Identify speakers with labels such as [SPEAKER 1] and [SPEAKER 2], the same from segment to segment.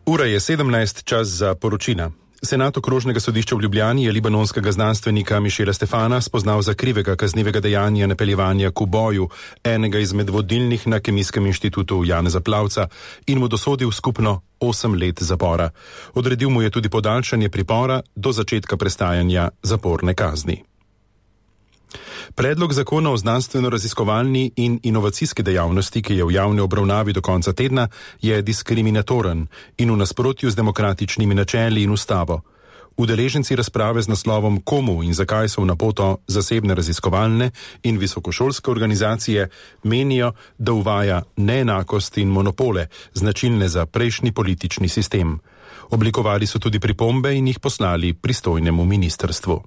[SPEAKER 1] Ura je 17, čas za poročila. Senat okrožnega sodišča v Ljubljani je libanonskega znanstvenika Mišela Stefana spoznal za krivega kaznivega dejanja napeljevanja k uboju enega izmed vodilnih na Kemijskem inštitutu Janeza Plavca in mu dosodil skupno 8 let zapora. Odredil mu je tudi podaljšanje pripora do začetka prestajanja zaporne kazni. Predlog zakona o znanstveno-raziskovalni in inovacijski dejavnosti, ki je v javni obravnavi do konca tedna, je diskriminatoren in v nasprotju z demokratičnimi načeli in ustavo. Udeleženci razprave z naslovom Komu in zakaj so v napoto zasebne raziskovalne in visokošolske organizacije menijo, da uvaja neenakost in monopole, značilne za prejšnji politični sistem. Oblikovali so tudi pripombe in jih poslali pristojnemu ministrstvu.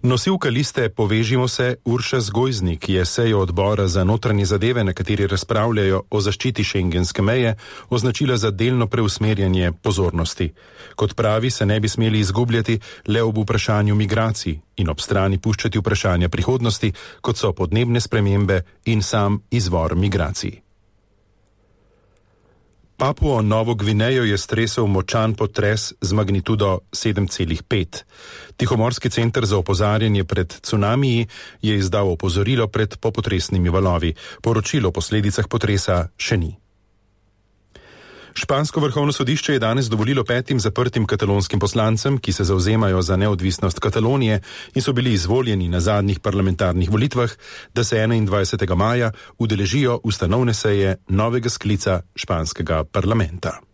[SPEAKER 1] Nosilka liste Povežimo se Urša Zgojznik je sejo odbora za notranje zadeve, na kateri razpravljajo o zaščiti šengenske meje, označila za delno preusmerjanje pozornosti. Kot pravi, se ne bi smeli izgubljati le ob vprašanju migracij in ob strani puščati vprašanja prihodnosti, kot so podnebne spremembe in sam izvor migracij. Papuo Novo Gvinejo je stresel močan potres z magnitudo 7,5. Tihomorski center za opozarjanje pred cunamiji je izdal opozorilo pred popotresnimi valovi. Poročilo o posledicah potresa še ni. Špansko vrhovno sodišče je danes dovolilo 5 zaprtim katalonskim poslancem, ki se zavzemajo za neodvisnost Katalonije in so bili izvoljeni na zadnjih parlamentarnih volitvah, da se 21. maja udeležijo ustanovne seje novega sklica španskega parlamenta.